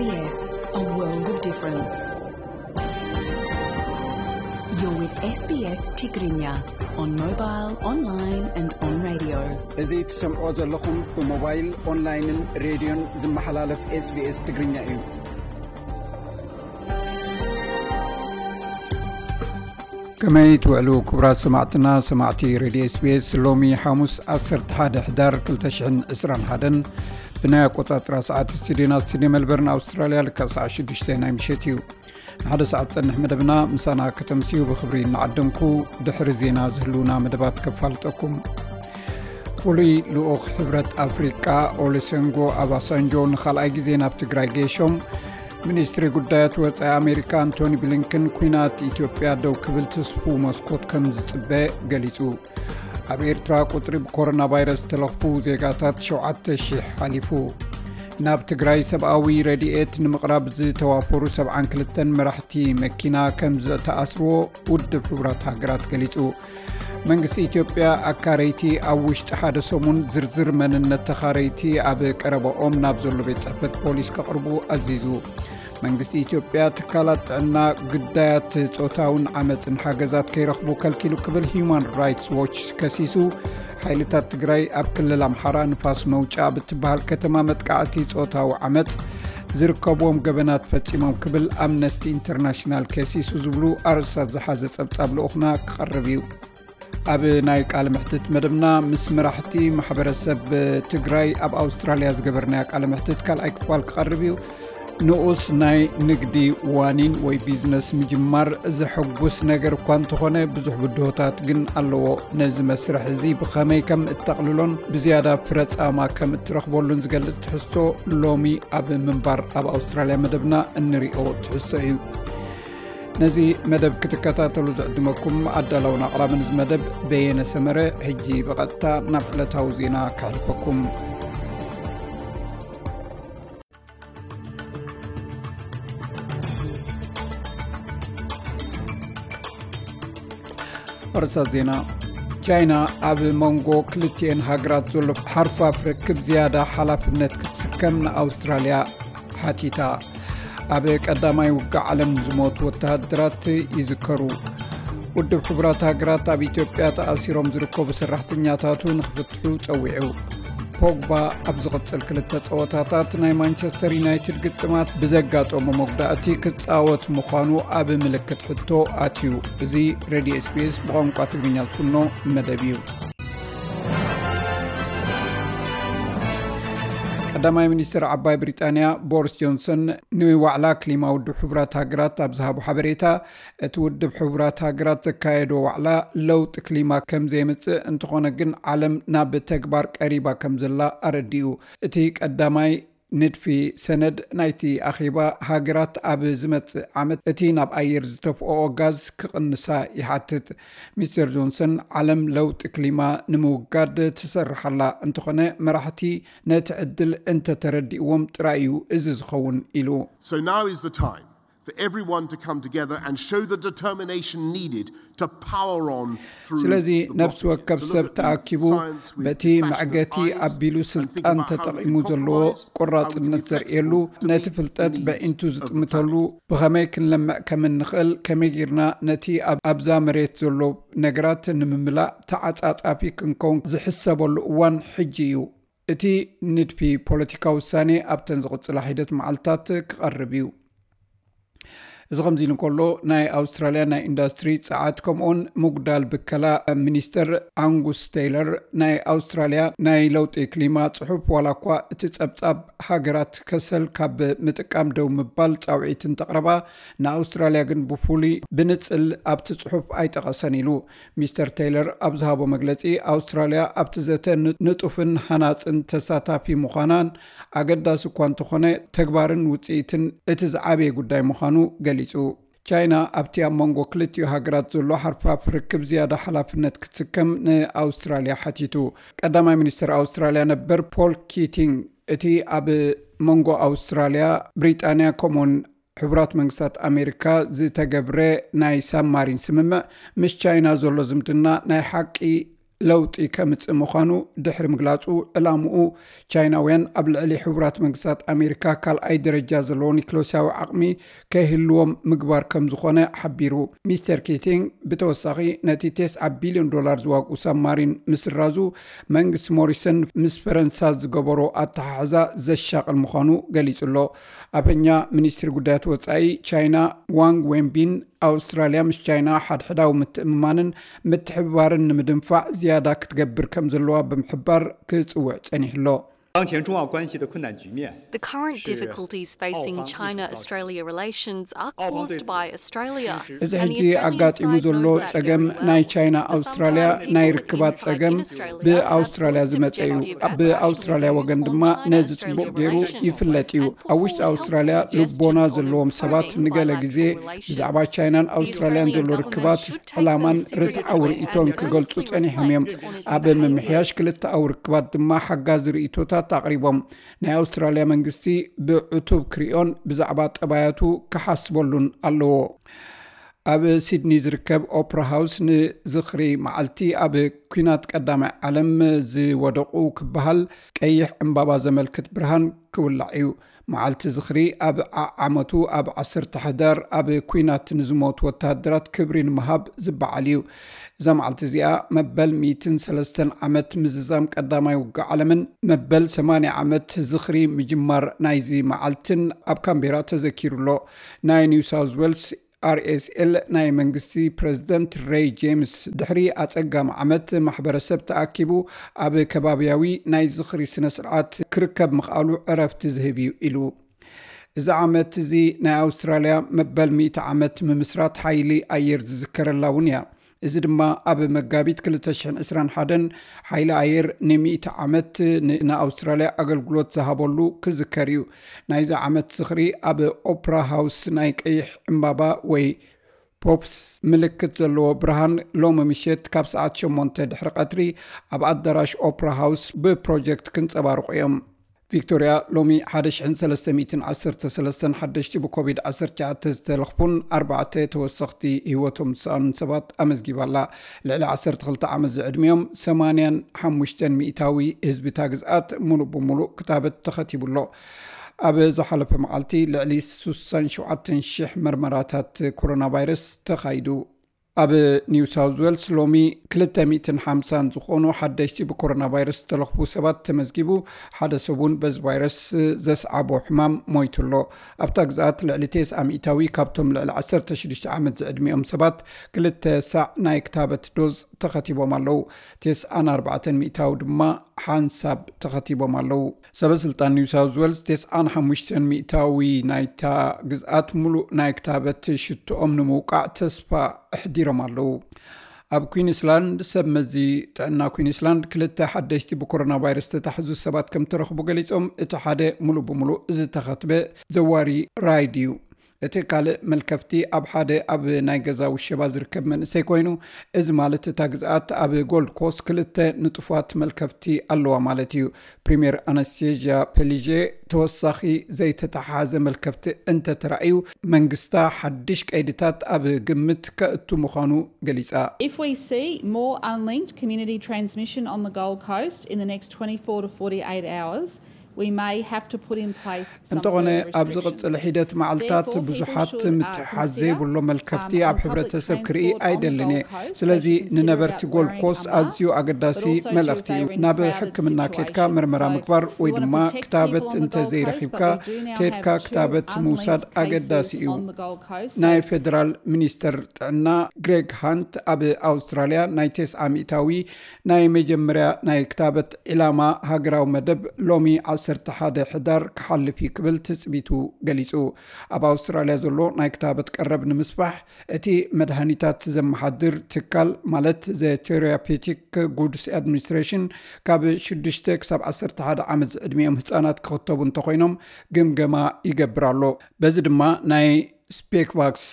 Yes, a world of difference. You're with S B S Tigrinya on mobile, online and on radio. እዚ ትሰምዖ ዘለኹም ብሞባይል፣ ኦንላይንን ሬድዮን ዝመሓላለፍ SBS ትግርኛ እዩ። ከመይ ትውዕሉ ክቡራት ሰማዕትና፣ ሰማዕቲ ሬድዮ SBS? ሎሚ ሓሙስ ዓሰርተ ሓደ ሕዳር ክልተ ሽሕን ዕስራን ሓደን ብናይ ኣቆጻጽራ ሰዓት ስቱድዮና ስቱድዮ ሜልበርን ኣውስትራልያ ልክዕ ሰዓት ሽዱሽተ ናይ ምሸት እዩ። ንሓደ ሰዓት ጸንሕ መደብና ምሳና ከተምስዩ ብኽብሪ እናዓደምኩ፣ ድሕሪ ዜና ዝህልውና መደባት ከፋልጠኩም። ፍሉይ ልኡኽ ሕብረት ኣፍሪቃ ኦሉሴጉን ኦባሳንጆ ንኻልኣይ ግዜ ናብ ትግራይ ገይሾም። ሚኒስትሪ ጉዳያት ወጻኢ ኣሜሪካ ኣንቶኒ ብሊንከን ኲናት ኢትዮጵያ ደው ክብል ትስፉው መስኮት ከም ዝጽበ ገሊጹ። ኣብ ኤርትራ ቁጽሪ ብኮሮና ቫይረስ ዝተለኽፉ ዜጋታት ሸውዓተ ሺሕ ሓሊፉ። ናብ ትግራይ ሰብኣዊ ረድኤት ንምቕራብ ዝተዋፈሩ ሰብዓን ክልተን መራሕቲ መኪና ከም ዝተኣስርዎ ውድብ ሕቡራት ሃገራት ገሊጹ። መንግስቲ ኢትዮጵያ ኣካረይቲ ኣብ ውሽጢ ሓደ ሰሙን ዝርዝር መንነት ተኻረይቲ ኣብ ቀረባኦም ናብ ዘሎ ቤት ጽሕፈት ፖሊስ ከቕርቡ ኣዚዙ። መንግስቲ ኢትዮጵያ ትካላት ጥዕና ግዳያት ጾታውን ዓመፅን ሓገዛት ከይረኽቡ ከልኪሉ ክብል ሂዩማን ራይትስ ዎች ከሲሱ። ሓይልታት ትግራይ ኣብ ክልል ኣምሓራ ንፋስ መውጫ ብትበሃል ከተማ መጥቃዕቲ ጾታዊ ዓመፅ ዝርከብዎም ገበናት ፈጺሞም ክብል ኣምነስቲ ኢንተርናሽናል ከሲሱ ዝብሉ ኣርእስታት ዝሓዘ ጸብጻብ ልኡኽና ክቐርብ እዩ። ኣብ ናይ ቃለ መሕትት መደብና ምስ መራሕቲ ማሕበረሰብ ትግራይ ኣብ ኣውስትራልያ ዝገበርናዮ ቃለ መሕትት ካልኣይ ክፋል ክቐርብ እዩ። ንኡስ ናይ ንግዲ ዋኒን ወይ ቢዝነስ ምጅማር ዘሐጉስ ነገር እኳ እንተኾነ፣ ብዙሕ ብድሆታት ግን ኣለዎ። ነዚ መስርሕ እዚ ብኸመይ ከም እተቕልሎን ብዝያዳ ፍረ ጻማ ከም እትረኽበሉን ዝገልጽ ትሕዝቶ ሎሚ ኣብ ምንባር ኣብ ኣውስትራልያ መደብና እንሪኦ ትሕዝቶ እዩ። ነዚ መደብ ክትከታተሉ ዝዕድመኩም ኣዳላውን ኣቕራብን እዚ መደብ በየነ ሰመረ። ሕጂ ብቐጥታ ናብ ዕለታዊ ዜና ከሕልፈኩም። ኣርእስታት ዜና። ቻይና ኣብ መንጎ ክልቲኤን ሃገራት ዘሎ ሓርፋፍ ርክብ ዝያዳ ሓላፍነት ክትስከም ንኣውስትራልያ ሓቲታ። ኣብ ቀዳማይ ውግእ ዓለም ዝሞቱ ወተሃደራት ይዝከሩ። ውድብ ሕቡራት ሃገራት ኣብ ኢትዮጵያ ተኣሲሮም ዝርከቡ ሰራሕተኛታቱ ንኽፍትሑ ጸዊዑ። ፖግባ ኣብ ዝቕጽል ክልተ ጸወታታት ናይ ማንቸስተር ዩናይትድ ግጥማት ብዘጋጠሞ መጉዳእቲ ክጻወት ምዃኑ ኣብ ምልክት ሕቶ ኣትዩ። እዚ ሬድዮ SBS ብቋንቋ ትግርኛ ዝፍኖ መደብ እዩ። ቀዳማይ ሚኒስትር ዓባይ ብሪጣንያ ቦሪስ ጆንሰን ንዋዕላ ክሊማ ውድብ ሕቡራት ሃገራት ኣብ ዝሃቦ ሓበሬታ፣ እቲ ውድብ ሕቡራት ሃገራት ዘካየዶ ዋዕላ ለውጢ ክሊማ ከም ዘየምጽእ፣ እንተኾነ ግን ዓለም ናብ ተግባር ቀሪባ ከም ዘላ ኣረዲኡ። እቲ ቀዳማይ ንድፊ ሰነድ ናይቲ ኣኼባ፣ ሃገራት ኣብ ዝመጽእ ዓመት እቲ ናብ ኣየር ዝተፍኦኦ ጋዝ ክቕንሳ ይሓትት። ሚስተር ጆንሰን፣ ዓለም ለውጢ ክሊማ ንምውጋድ ትሰርሕ ኣላ፣ እንተኾነ መራሕቲ ነቲ ዕድል እንተተረዲእዎም ጥራይ እዩ እዚ ዝኸውን ኢሉ። So now is the time for everyone to come together and show the determination needed to power on through ስለዚ the ነፍሲ blockade, ወከፍ to look ሰብ at the ተኣኪቡ science with በቲ dispassionate መዕገቲ eyes ኣቢሉ and think ስልጣን about how we ተጠቒሙ can ዘለዎ compromise, how we can be ቆራጽነት ዘርእየሉ፣ flexible to ነቲ meet the ፍልጠት needs በዒንቱ of the ዝጥምተሉ፣ planet። ብኸመይ ክንለምዕ ከም እንኽእል፣ ከመይ ጌርና ነቲ ኣብ ኣብዛ መሬት ዘሎ ነገራት ንምምላእ ተዓጻጻፊ ክንከውን ዝሕሰበሉ እዋን ሕጂ እዩ። እቲ ንድፊ ፖለቲካዊ ውሳኔ ኣብተን ዝቕጽላ ሒደት መዓልታት ክቐርብ እዩ። እዚ ከምዚ ኢሉ እንከሎ፣ ናይ ኣውስትራልያ ናይ ኢንዱስትሪ ጸዓት ከምኡውን ምጉዳል ብከላ ሚኒስተር ኣንጉስ ቴይለር፣ ናይ ኣውስትራልያ ናይ ለውጢ ክሊማ ጽሑፍ፣ ዋላ እኳ እቲ ጸብጻብ ሃገራት ከሰል ካብ ምጥቃም ደው ምባል ጻውዒት እንተቕረባ፣ ንኣውስትራልያ ግን ብፍሉይ ብንጽል ኣብቲ ጽሑፍ ኣይጠቐሰን ኢሉ። ሚስተር ቴይለር ኣብ ዝሃቦ መግለጺ፣ ኣውስትራልያ ኣብቲ ዘተ ን-፣ ንጡፍን ሃናጽን ተሳታፊ ምዃናን ኣገዳሲ እኳ እንተኾነ፣ ተግባርን ውጽኢትን እቲ ዝዓበየ ጉዳይ ምዃኑ ገሊጹ። ቻይና ኣብቲ ኣብ መንጎ ክልቲኡ ሃገራት ዘሎ ሓርፋፍ ርክብ ዝያዳ ሓላፍነት ክትስከም ንኣውስትራልያ ሓቲቱ። ቀዳማይ ሚኒስተር ኣውስትራልያ ነበር ፖል ኪቲንግ፣ እቲ ኣብ መንጎ ኣውስትራልያ፣ ብሪጣንያ ከምኡውን ሕቡራት መንግስታት ኣሜሪካ ዝተገብረ ናይ ሳብማሪን ስምምዕ፣ ምስ ቻይና ዘሎ ዝምድና ናይ ሓቂ ለውጢ ከምጽእ ምዃኑ ድሕሪ ምግላጹ፣ ዕላምኡ ቻይናውያን ኣብ ልዕሊ ሕቡራት መንግስታት ኣሜሪካ ካልኣይ ደረጃ ዘለዎ ኒክሎሲያዊ ዓቕሚ ከይህልዎም ምግባር ከም ዝኾነ ሓቢሩ። ሚስተር ኪቲንግ ብተወሳኺ፣ ነቲ ተስዓ ቢልዮን ዶላር ዝዋግኡ ሳብማሪን ምስራዙ፣ መንግስቲ ሞሪሰን ምስ ፈረንሳ ዝገበሮ ኣተሓሕዛ ዘሻቕል ምዃኑ ገሊጹ ኣሎ። ኣፈኛ ሚኒስትሪ ጉዳያት ወጻኢ ቻይና ዋንግ ዌንቢን፣ ኣውስትራልያ ምስ ቻይና ሓድሕዳዊ ምትእምማንን ምትሕብባርን ንምድንፋዕ ዝያዳ ክትገብር ከም ዘለዋ ብምሕባር ክጽውዕ ጸኒሑ ኣሎ። 当前中澳关系的困难局面， The current difficulties facing China Australia relations are caused by Australia. እዚ ሕጂ ኣጋጢሙ ዘሎ ጸገም ናይ ቻይና ኣውስትራልያ ናይ ርክባት ጸገም ብኣውስትራልያ ዝመጸ እዩ። ብኣውስትራልያ ወገን ድማ ነዚ ጽቡቕ ገይሩ ይፍለጥ እዩ። ኣብ ውሽጢ ኣውስትራልያ ልቦና ዘለዎም ሰባት ንገለ ግዜ ብዛዕባ ቻይናን ኣውስትራልያን ዘሎ ርክባት ዕላማን ርትዓዊ ርእይቶን ክገልጹ ጸኒሖም እዮም። ኣብ ምምሕያሽ ክልተኣዊ ርክባት ድማ ሓጋዚ ርእይቶታት ኣቕሪቦም። ናይ ኣውስትራልያ መንግስቲ ብዕቱብ ክሪኦን ብዛዕባ ጠባያቱ ክሓስበሉን ኣለዎ። ኣብ ሲድኒ ዝርከብ ኦፕራ ሃውስ ንዝኽሪ መዓልቲ ኣብ ኲናት ቀዳማይ ዓለም ዝወደቑ ክበሃል ቀይሕ ዕምባባ ዘመልክት ብርሃን ክውላዕ እዩ። መዓልቲ ዝኽሪ ኣብ ዓዓመቱ ኣብ ዓሰርተ ሕዳር ኣብ ኲናት ንዝሞቱ ወተሃደራት ክብሪ ንምሃብ ዝበዓል እዩ። እዛ መዓልቲ እዚኣ መበል ሚእትን ሰለስተን ዓመት ምዝዛም ቀዳማይ ውግእ ዓለምን መበል ሰማንያ ዓመት ዝኽሪ ምጅማር ናይዚ መዓልትን ኣብ ካምቤራ ተዘኪሩ ኣሎ። ናይ ኒው ሳውዝ ዌልስ ኣር ኤስ ኤል ናይ መንግስቲ ፕረዚደንት ሬይ ጄምስ ድሕሪ ኣጸጋሚ ዓመት ማሕበረሰብ ተኣኪቡ ኣብ ከባብያዊ ናይ ዝኽሪ ስነ ስርዓት ክርከብ ምኽኣሉ ዕረፍቲ ዝህብ እዩ ኢሉ። እዚ ዓመት እዚ ናይ ኣውስትራልያ መበል ሚእቲ ዓመት ምምስራት ሓይሊ ኣየር ዝዝከረላ እውን እያ። እዚ ድማ ኣብ መጋቢት ክልተ ሽሕን ዕስራን ሓደን ሓይሊ ኣየር ንሚእቲ ዓመት ን- ንኣውስትራልያ ኣገልግሎት ዝሃበሉ ክዝከር እዩ። ናይዚ ዓመት ዝኽሪ ኣብ ኦፕራ ሃውስ ናይ ቀይሕ ዕምባባ ወይ ፖፕስ ምልክት ዘለዎ ብርሃን ሎሚ ምሸት ካብ ሰዓት ሸሞንተ ድሕሪ ቀትሪ ኣብ ኣዳራሽ ኦፕራ ሃውስ ብፕሮጀክት ክንጸባርቑ እዮም። ቪክቶርያ ሎሚ ሓደ ሽሕን ሰለስተ ሚእትን ዓሰርተ ሰለስተን ሓደሽቲ ብኮቪድ ዓሰርተ ትሽዓተ ዝተለኽፉን ኣርባዕተ ተወሰኽቲ ህይወቶም ዝሰኣኑን ሰባት ኣመዝጊባ ኣላ። ልዕሊ ዓሰርተ ክልተ ዓመት ዝዕድሚኦም ሰማንያን ሓሙሽተን ሚእታዊ ህዝቢ እታ ግዝኣት ሙሉእ ብሙሉእ ክታበት ተኸቲቡ ኣሎ። ኣብ ዝሓለፈ መዓልቲ ልዕሊ ስሳን ሸውዓተን ሽሕ መርመራታት ኮሮና ቫይረስ ተኻይዱ። ኣብ ኒው ሳውዝ ዌልስ ሎሚ ክልተ ሚእትን ሓምሳን ዝኾኑ ሓደሽቲ ብኮሮና ቫይረስ ዝተለኽፉ ሰባት ተመዝጊቡ፣ ሓደ ሰብ እውን በዚ ቫይረስ ዘስዓቦ ሕማም ሞይቱ ኣሎ። ኣብታ ግዝኣት ልዕሊ ተስዓ ሚእታዊ ካብቶም ልዕሊ ዓሰርተ ሽዱሽተ ዓመት ዝዕድሚኦም ሰባት ክልተ ሳዕ ናይ ክታበት ዶዝ ተኸቲቦም ኣለዉ። ተስዓን ኣርባዕተን ሚእታዊ ድማ ሓንሳብ ተኸቲቦም ኣለዉ። ሰበ ስልጣን ኒው ሳውዝ ዌልስ ተስዓን ሓሙሽተን ሚእታዊ ናይታ ግዝኣት ሙሉእ ናይ ክታበት ሽትኦም ንምውቃዕ ተስፋ ኣሕዲሮም ኣለዉ። ኣብ ኩዊንስላንድ ሰብ መዚ ጥዕና ኩዊንስላንድ ክልተ ሓደሽቲ ብኮሮና ቫይረስ ዝተታሕዙ ሰባት ከም ተረኽቡ ገሊጾም፣ እቲ ሓደ ሙሉእ ብሙሉእ ዝተኸትበ ዘዋሪ ራይድ እዩ። እቲ ካልእ መልከፍቲ ኣብ ሓደ ኣብ ናይ ገዛ ውሸባ ዝርከብ መንእሰይ ኮይኑ፣ እዚ ማለት እታ ግዝኣት ኣብ ጎልድ ኮስት ክልተ ንጡፋት መልከፍቲ ኣለዋ ማለት እዩ። ፕሪምየር ኣናስቴዥያ ፔሊዤ ተወሳኺ ዘይተተሓሓዘ መልከፍቲ እንተተራእዩ መንግስታ ሓድሽ ቀይድታት ኣብ ግምት ከእቱ ምዃኑ ገሊጻ። If we see more unlinked community transmission on the Gold Coast in the next twenty-four to forty-eight hours, we may have to put in place some እንተኾነ further ኣብ restrictions. ዝቕጽል ሒደት መዓልታት Therefore, people ብዙሓት should, uh, ምትሕሓዝ consider, ዘይብሎ um, መልከፍቲ on ኣብ public ሕብረተሰብ transport ክርኢ on the ኣይደልን እየ። Gold Coast, ስለዚ they should consider ንነበርቲ about ጎልድ wearing ኮስት masks, ኣዝዩ ኣገዳሲ but also too, if መልእኽቲ they እዩ። are in ናብ crowded ሕክምና ኬድካ situations. ምርመራ So ምግባር ወይ we wanna ድማ protect ክታበት people on the እንተ Gold Coast, ዘይረኺብካ but we do now ኬድካ have two ክታበት unlinked ምውሳድ cases ኣገዳሲ እዩ። on the Gold Coast. ናይ So ፌደራል ሚኒስተር ጥዕና ግሬግ ሃንት ኣብ ኣውስትራልያ ናይ ተስዓ ሚእታዊ ናይ መጀመርያ ናይ ክታበት ዒላማ ሃገራዊ መደብ ሎሚ ዓሰርተ ሓደ ሕዳር ክሓልፍ እዩ ክብል ትጽቢቱ ገሊጹ። ኣብ ኣውስትራልያ ዘሎ ናይ ክታበት ቀረብ ንምስፋሕ እቲ መድሃኒታት ዘመሓድር ትካል ማለት ዘ ቴራፒቲክ ጉድስ ኣድሚኒስትሬሽን ካብ ሽዱሽተ ክሳብ ዓሰርተ ሓደ ዓመት ዝዕድሚኦም ህጻናት ክኽተቡ እንተኾይኖም ግምገማ ይገብር ኣሎ። በዚ ድማ ናይ ስፔክቫክስ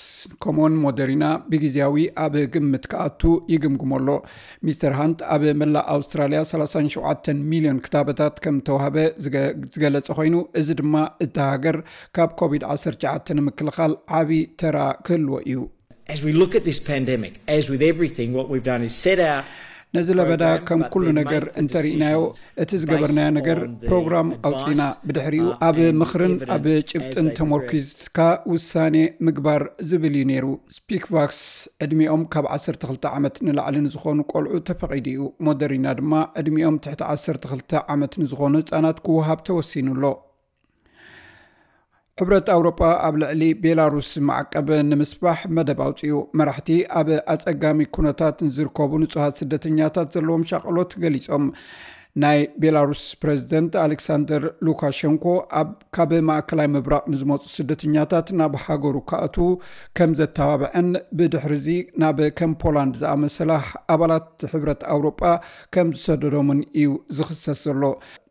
ከምኡውን ሞደሪና ብግዜያዊ ኣብ ግምት ክኣቱ ይግምግሞ ኣሎ። ሚስተር ሃንት ኣብ መላእ ኣውስትራልያ ሰላሳን ሸውዓተን ሚልዮን ክታበታት ከም ተዋህበ ዝገ- ዝገለጸ ኮይኑ፣ እዚ ድማ እታ ሃገር ካብ ኮቪድ ዓሰርተ ትሽዓተ ንምክልኻል ዓቢ ተራ ክህልዎ እዩ። As we look at this pandemic, as with everything, what we've done is set out ነዚ ለበዳ ከም ኩሉ ነገር እንተርኢናዮ፣ እቲ ዝገበርናዮ ነገር ፕሮግራም ኣውፂና፣ ብድሕሪኡ ኣብ ምኽርን ኣብ ጭብጥን ተመርኪዝካ ውሳኔ ምግባር ዝብል እዩ ነይሩ። ስፒክቫክስ ዕድሚኦም ካብ ዓሰርተ ክልተ ዓመት ንላዕሊ ንዝኾኑ ቆልዑ ተፈቒዱ እዩ። ሞደሪና ድማ ዕድሚኦም ትሕቲ ዓሰርተ ክልተ ዓመት ንዝኾኑ ህፃናት ክወሃብ ተወሲኑ ኣሎ። ሕብረት ኣውሮጳ ኣብ ልዕሊ ቤላሩስ ማዕቀብ ንምስፋሕ መደብ ኣውፅኡ። መራሕቲ ኣብ ኣፀጋሚ ኩነታት ንዝርከቡ ንጹሃት ስደተኛታት ዘለዎም ሻቕሎት ገሊጾም። ናይ ቤላሩስ ፕሬዝደንት ኣሌክሳንደር ሉካሸንኮ ኣብ ካብ ማእከላይ ምብራቕ ንዝመፁ ስደተኛታት ናብ ሃገሩ ክኣትዉ ከም ዘተባብዐን ብድሕርዚ ናብ ከም ፖላንድ ዝኣመሰላ ኣባላት ሕብረት ኣውሮጳ ከም ዝሰደዶምን እዩ ዝኽሰስ ዘሎ።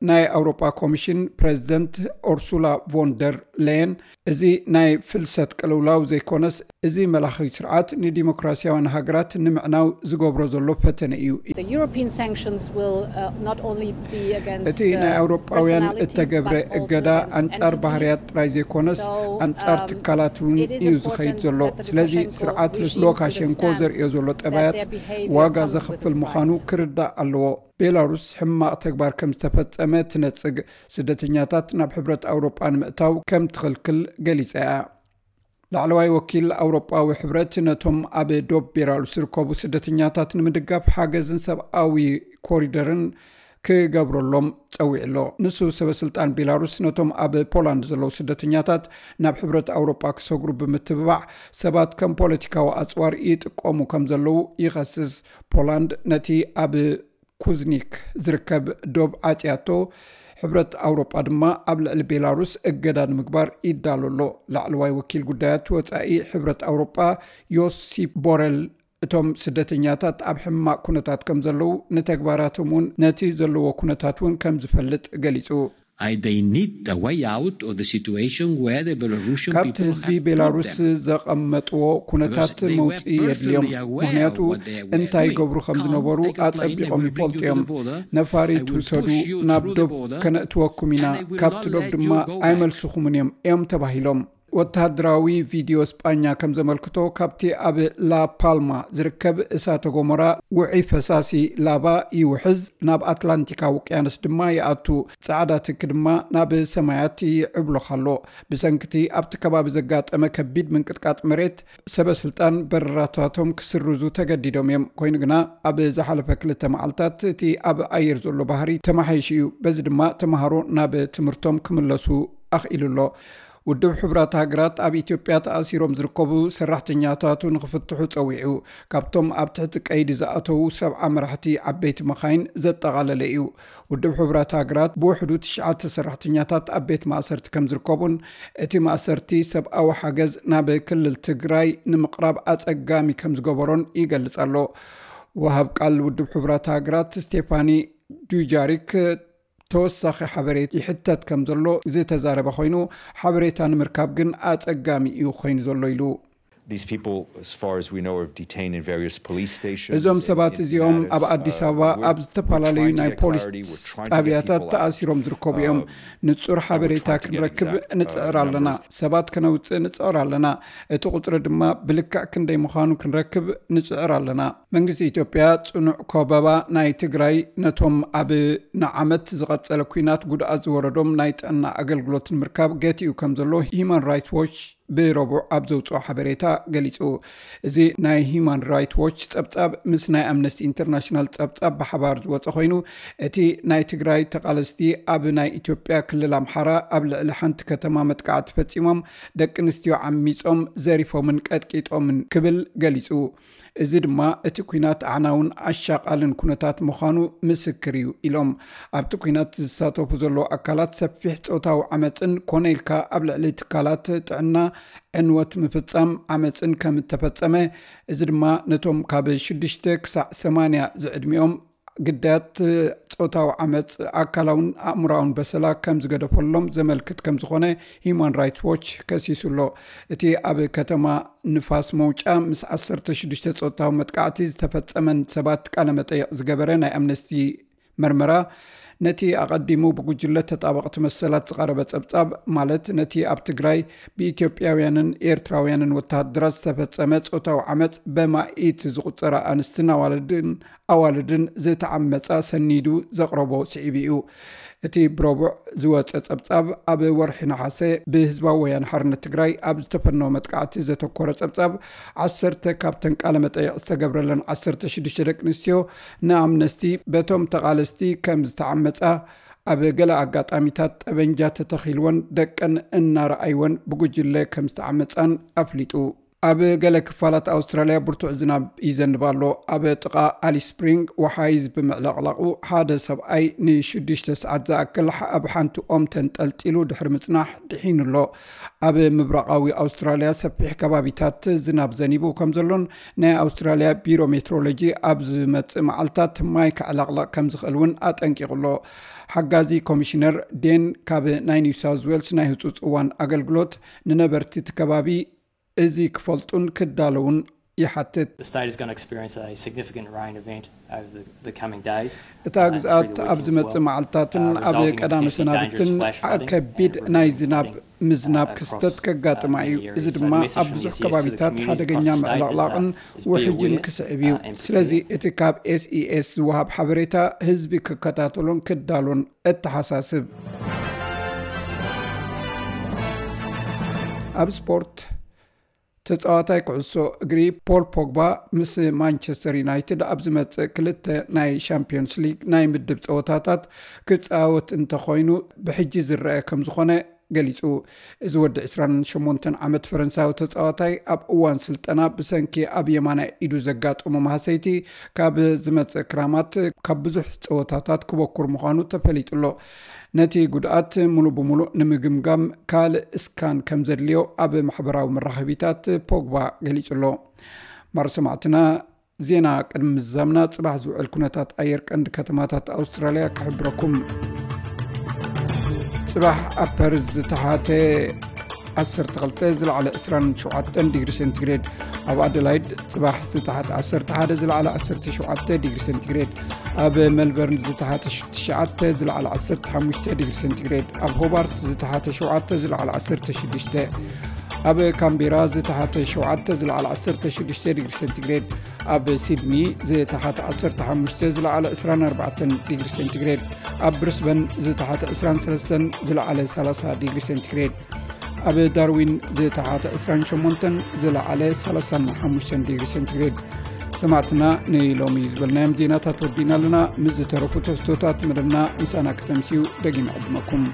ናይ ኣውሮጳ ኮሚሽን ፕሬዝደንት ኦርሱላ ቮንደር ሌየን፣ እዚ ናይ ፍልሰት ቅልውላው ዘይኮነስ፣ እዚ መላኺ ስርዓት ንዲሞክራሲያውያን ሃገራት ንምዕናው ዝገብሮ ዘሎ ፈተነ እዩ። እቲ ናይ ኣውሮጳውያን እተገብረ እገዳ ኣንጻር ባህርያት ጥራይ ዘይኮነስ፣ ኣንጻር ትካላት እውን እዩ ዝኸይድ ዘሎ። ስለዚ ስርዓት ሉካሸንኮ ዘርእዮ ዘሎ ጠባያት ዋጋ ዘኽፍል ምዃኑ ክርዳእ ኣለዎ። ቤላሩስ ሕማቕ ተግባር ከም ዝተፈጸመ ትነጽግ፣ ስደተኛታት ናብ ሕብረት ኣውሮጳ ንምእታው ከም ትኽልክል ገሊጻ እያ። ላዕለዋይ ወኪል ኣውሮጳዊ ሕብረት ነቶም ኣብ ዶብ ቤላሩስ ዝርከቡ ስደተኛታት ንምድጋፍ ሓገዝን ሰብኣዊ ኮሪደርን ክገብረሎም ጸዊዑ ኣሎ። ንሱ ሰበ ስልጣን ቤላሩስ ነቶም ኣብ ፖላንድ ዘለዉ ስደተኛታት ናብ ሕብረት ኣውሮጳ ክሰግሩ ብምትብባዕ ሰባት ከም ፖለቲካዊ ኣጽዋር ይጥቀሙ ከም ዘለዉ ይኸስስ። ፖላንድ ነቲ ኣብ ኩዝኒክ ዝርከብ ዶብ ዓጽያቶ፣ ሕብረት ኣውሮጳ ድማ ኣብ ልዕሊ ቤላሩስ እገዳ ንምግባር ይዳሎ ኣሎ። ላዕለዋይ ወኪል ጉዳያት ወጻኢ ሕብረት ኣውሮጳ ዮሲፕ ቦረል፣ እቶም ስደተኛታት ኣብ ሕማቕ ኩነታት ከም ዘለዉ፣ ንተግባራቶም እውን ነቲ ዘለዎ ኩነታት እውን ከም ዝፈልጥ ገሊጹ። I, they need a way out of the situation where the Belarusian ካብቲ people ህዝቢ have put ቤላሩስ them. ዘቐመጥዎ ኩነታት Because they were መውፅኢ የድልዮም። Perfectly aware ምኽንያቱ of what they were እንታይ doing. ይገብሩ ከም ዝነበሩ ኣፀቢቖም ይፈልጡ እዮም። ነፋሪት ውሰዱ፣ ናብ ዶብ ከነእትወኩም ኢና፣ ካብቲ ዶብ ድማ ኣይመልስኹምን እዮም እዮም ተባሂሎም። ወተሃደራዊ ቪድዮ ስጳኛ ከም ዘመልክቶ፣ ካብቲ ኣብ ላፓልማ ዝርከብ እሳተ ጎመራ ውዑይ ፈሳሲ ላቫ ይውሕዝ፣ ናብ ኣትላንቲካዊ ውቅያኖስ ድማ ይኣቱ። ጻዕዳ ትኪ ድማ ናብ ሰማያት ይዕብሎኽ ኣሎ። ብሰንክቲ ኣብቲ ከባቢ ዘጋጠመ ከቢድ ምንቅጥቃጥ መሬት፣ ሰበ ስልጣን በረራታቶም ክስርዙ ተገዲዶም እዮም። ኮይኑ ግና፣ ኣብ ዝሓለፈ ክልተ መዓልታት እቲ ኣብ ኣየር ዘሎ ባህሪ ተመሓይሹ እዩ። በዚ ድማ ተምሃሮ ናብ ትምህርቶም ክምለሱ ኣኽኢሉ ኣሎ። ውድብ ሕቡራት ሃገራት ኣብ ኢትዮጵያ ተኣሲሮም ዝርከቡ ሰራሕተኛታቱ ንኽፍትሑ ጸዊዑ። ካብቶም ኣብ ትሕቲ ቀይዲ ዝኣተዉ ሰብዓ መራሕቲ ዓበይቲ መኻይን ዘጠቓለለ እዩ። ውድብ ሕቡራት ሃገራት ብውሕዱ ትሽዓተ ሰራሕተኛታት ኣብ ቤት ማእሰርቲ ከም ዝርከቡን፣ እቲ ማእሰርቲ ሰብኣዊ ሓገዝ ናብ ክልል ትግራይ ንምቕራብ ኣጸጋሚ ከም ዝገበሮን ይገልጽ ኣሎ። ወሃብ ቃል ውድብ ሕቡራት ሃገራት ስቴፋኒ ዱጃሪክ ተወሳኺ ሓበሬታ ይሕተት ከም ዘሎ ዝተዛረበ ኮይኑ፣ ሓበሬታ ንምርካብ ግን ኣጸጋሚ እዩ ኮይኑ ዘሎ ኢሉ። These people, as far as we know, are detained in various police stations. እዞም ሰባት እዚኦም ኣብ ኣዲስ ኣበባ ኣብ ዝተፈላለዩ ናይ ፖሊስ ጣብያታት ተኣሲሮም ዝርከቡ እዮም። ንጹር ሓበሬታ ክንረክብ ንጽዕር ኣለና። ሰባት ከነውጽእ ንጽዕር ኣለና። እቲ ቁጽሪ ድማ ብልክዕ ክንደይ ምዃኑ ክንረክብ ንጽዕር ኣለና። መንግስቲ ኢትዮጵያ ጽኑዕ ከበባ ናይ ትግራይ ነቶም ኣብ ንዓመት ዝቐጸለ ኲናት ጉድኣት ዝወረዶም ናይ ጥዕና ኣገልግሎት ንምርካብ ገቲኡ ከም ዘሎ ሂዩማን ራይትስ ዎች ብረቡዕ ኣብ ዘውፅኦ ሓበሬታ ገሊፁ። እዚ ናይ ሂዩማን ራይትስ ዎች ጸብጻብ ምስ ናይ ኣምነስቲ ኢንተርናሽናል ጸብጻብ ብሓባር ዝወጸ ኮይኑ፣ እቲ ናይ ትግራይ ተቓለስቲ ኣብ ናይ ኢትዮጵያ ክልል ኣምሓራ ኣብ ልዕሊ ሓንቲ ከተማ መጥቃዕቲ ፈጺሞም፣ ደቂ ኣንስትዮ ዓሚጾም፣ ዘሪፎምን ቀጥቂጦምን ክብል ገሊጹ። እዚ ድማ እቲ ኲናት ኣዕናውን ኣሻቓልን ኩነታት ምዃኑ ምስክር እዩ ኢሎም። ኣብቲ ኲናት ዝሳተፉ ዘለዉ ኣካላት ሰፊሕ ጾታዊ ዓመጽን ኮነ ኢልካ ኣብ ልዕሊ ትካላት ጥዕና ዕንወት ምፍጻም ዓመጽን ከም እተፈጸመ፣ እዚ ድማ ነቶም ካብ ሽዱሽተ ክሳዕ ሰማንያ ዝዕድሚኦም ግዳያት ጾታዊ ዓመጽ ኣካላውን ኣእምሮኣውን በሰላ ከም ዝገደፈሎም ዘመልክት ከም ዝኾነ ሂዩማን ራይትስ ዎች ከሲሱ ኣሎ። እቲ ኣብ ከተማ ንፋስ መውጫ ምስ ዓሰርተ ሽዱሽተ ጾታዊ መጥቃዕቲ ዝተፈጸመን ሰባት ቃለ መጠይቕ ዝገበረ ናይ ኣምነስቲ መርመራ፣ ነቲ ኣቐዲሙ ብጉጅለ ተጣበቕቲ መሰላት ዝቐረበ ጸብጻብ፣ ማለት ነቲ ኣብ ትግራይ ብኢትዮጵያውያንን ኤርትራውያንን ወተሃደራት ዝተፈጸመ ጾታዊ ዓመጽ በማኢት ዝቑጸራ ኣንስትን ኣዋልድን ኣዋልድን ዝተዓመጻ ሰኒዱ ዘቕረቦ ስዒቡ እዩ። እቲ ብረቡዕ ዝወጸ ጸብጻብ፣ ኣብ ወርሒ ነሓሰ ብህዝባዊ ወያነ ሓርነት ትግራይ ኣብ ዝተፈነወ መጥቃዕቲ ዘተኮረ ጸብጻብ፣ ዓሰርተ ካብተን ቃለ መጠይቕ ዝተገብረለን ዓሰርተ ሽዱሽተ ደቂ ኣንስትዮ ንኣምነስቲ በቶም ተቓለስቲ ከም ዝተዓመጻ፣ ኣብ ገለ ኣጋጣሚታት ጠበንጃ ተተኺልወን ደቀን እናረኣይወን ብጉጅለ ከም ዝተዓመጻን ኣፍሊጡ። ኣብ ገለ ክፋላት ኣውስትራልያ ብርቱዕ ዝናብ ይዘንብ ኣሎ። ኣብ ጥቓ ኣሊስ ስፕሪንግ ወሓይዝ ብምዕለቕላቑ፣ ሓደ ሰብኣይ ንሽዱሽተ ሰዓት ዝኣክል ኣብ ሓንቲ ኦም ተንጠልጢሉ ድሕሪ ምጽናሕ ድሒኑ ኣሎ። ኣብ ምብራቓዊ ኣውስትራልያ ሰፊሕ ከባቢታት ዝናብ ዘኒቡ ከም ዘሎን ናይ ኣውስትራልያ ቢሮ ሜትሮሎጂ ኣብ ዝመጽእ መዓልታት ማይ ከዕለቕለቕ ከም ዝኽእል እውን ኣጠንቂቑ ኣሎ። ሓጋዚ ኮሚሽነር ዴን ካብ ናይ ኒው ሳውዝ ዌልስ ናይ ህጹጽ እዋን ኣገልግሎት ንነበርቲ እቲ ከባቢ እዚ ክፈልጡን ክዳለውን ይሓትት። The state is going to experience a significant rain event over the, the coming days. እታ ግዝኣት ኣብ ዝመጽእ መዓልታትን ኣብ ቀዳመ ሰናብትን ከቢድ ናይ ዝናብ ምዝናብ ክስተት ከጋጥማ እዩ። እዚ ድማ ኣብ ብዙሕ ከባቢታት ሓደገኛ ምዕልቕላቕን ውሕጅን ክስዕብ እዩ። ስለዚ እቲ ካብ ኤስኢኤስ ዝወሃብ ሓበሬታ ህዝቢ ክከታተሎን ክዳሎን እተሓሳስብ። ኣብ ስፖርት፣ ተጻዋታይ ኩዕሶ እግሪ ፖል ፖግባ ምስ ማንቸስተር ዩናይትድ ኣብ ዝመጽእ ክልተ ናይ ሻምፒዮንስ ሊግ ናይ ምድብ ጸወታታት ክጻወት እንተኾይኑ ብሕጂ ዝረአ ከም ዝኾነ ገሊጹ። እዚ ወዲ ዕስራን ሸሞንተን ዓመት ፈረንሳዊ ተጻዋታይ ኣብ እዋን ስልጠና ብሰንኪ ኣብ የማናይ ኢዱ ዘጋጠሞ ማህሰይቲ ካብ ዝመጽእ ክራማት ካብ ብዙሕ ጸወታታት ክበኩር ምዃኑ ተፈሊጡ ኣሎ። ነቲ ጉድኣት ሙሉእ ብሙሉእ ንምግምጋም ካልእ ስካን ከም ዘድልዮ ኣብ ማሕበራዊ መራኸቢታት ፖግባ ገሊጹ ኣሎ። ማር ሰማዕትና፣ ዜና ቅድሚ ምዝዛምና ጽባሕ ዝውዕል ኩነታት ኣየር ቀንዲ ከተማታት ኣውስትራልያ ክሕብረኩም። ጽባሕ ኣብ ፐርዝ ዝተሓተ ዓሰርተ ክልተ ዝለዓለ ዕስራን ሸውዓተን ዲግሪ ሴንቲግሬድ፣ ኣብ ኣደላይድ ጽባሕ ዝተሓተ ዓሰርተ ሓደ ዝለዓለ ዓሰርተ ሸውዓተ ዲግሪ ሴንቲግሬድ፣ ኣብ ሜልበርን ዝተሓተ ትሽዓተ ዝለዓለ ዓሰርተ ሓሙሽተ ዲግሪ ሴንቲግሬድ፣ ኣብ ሆባርት ዝተሓተ ሸውዓተ ዝለዓለ ዓሰርተ ሽዱሽተ፣ ኣብ ካምቤራ ዝተሓተ ሸውዓተ ዝለዓለ ዓሰርተ ሽዱሽተ ዲግሪ ሴንቲግሬድ፣ ኣብ ሲድኒ ዝተሓተ ዓሰርተ ሓሙሽተ ዝለዓለ ዕስራን ኣርባዕተን ዲግሪ ሴንቲግሬድ፣ ኣብ ብሪስበን ዝተሓተ ዕስራን ሰለስተን ዝለዓለ ሰላሳ ዲግሪ ሴንቲግሬድ፣ ኣብ ዳርዊን ዝተሓተ ዕስራን ሸሞንተን ዝለዓለ ሰላሳን ሓሙሽተን ዲግሪ ሴንቲግሬድ። ሰማዕትና፣ ንሎሚ ዝበልናዮም ዜናታት ወዲና ኣለና። ምስ ዝተረፉ ትሕዝቶታት መደብና ምሳና ከተምስዩ ደጊም ዕድመኩም።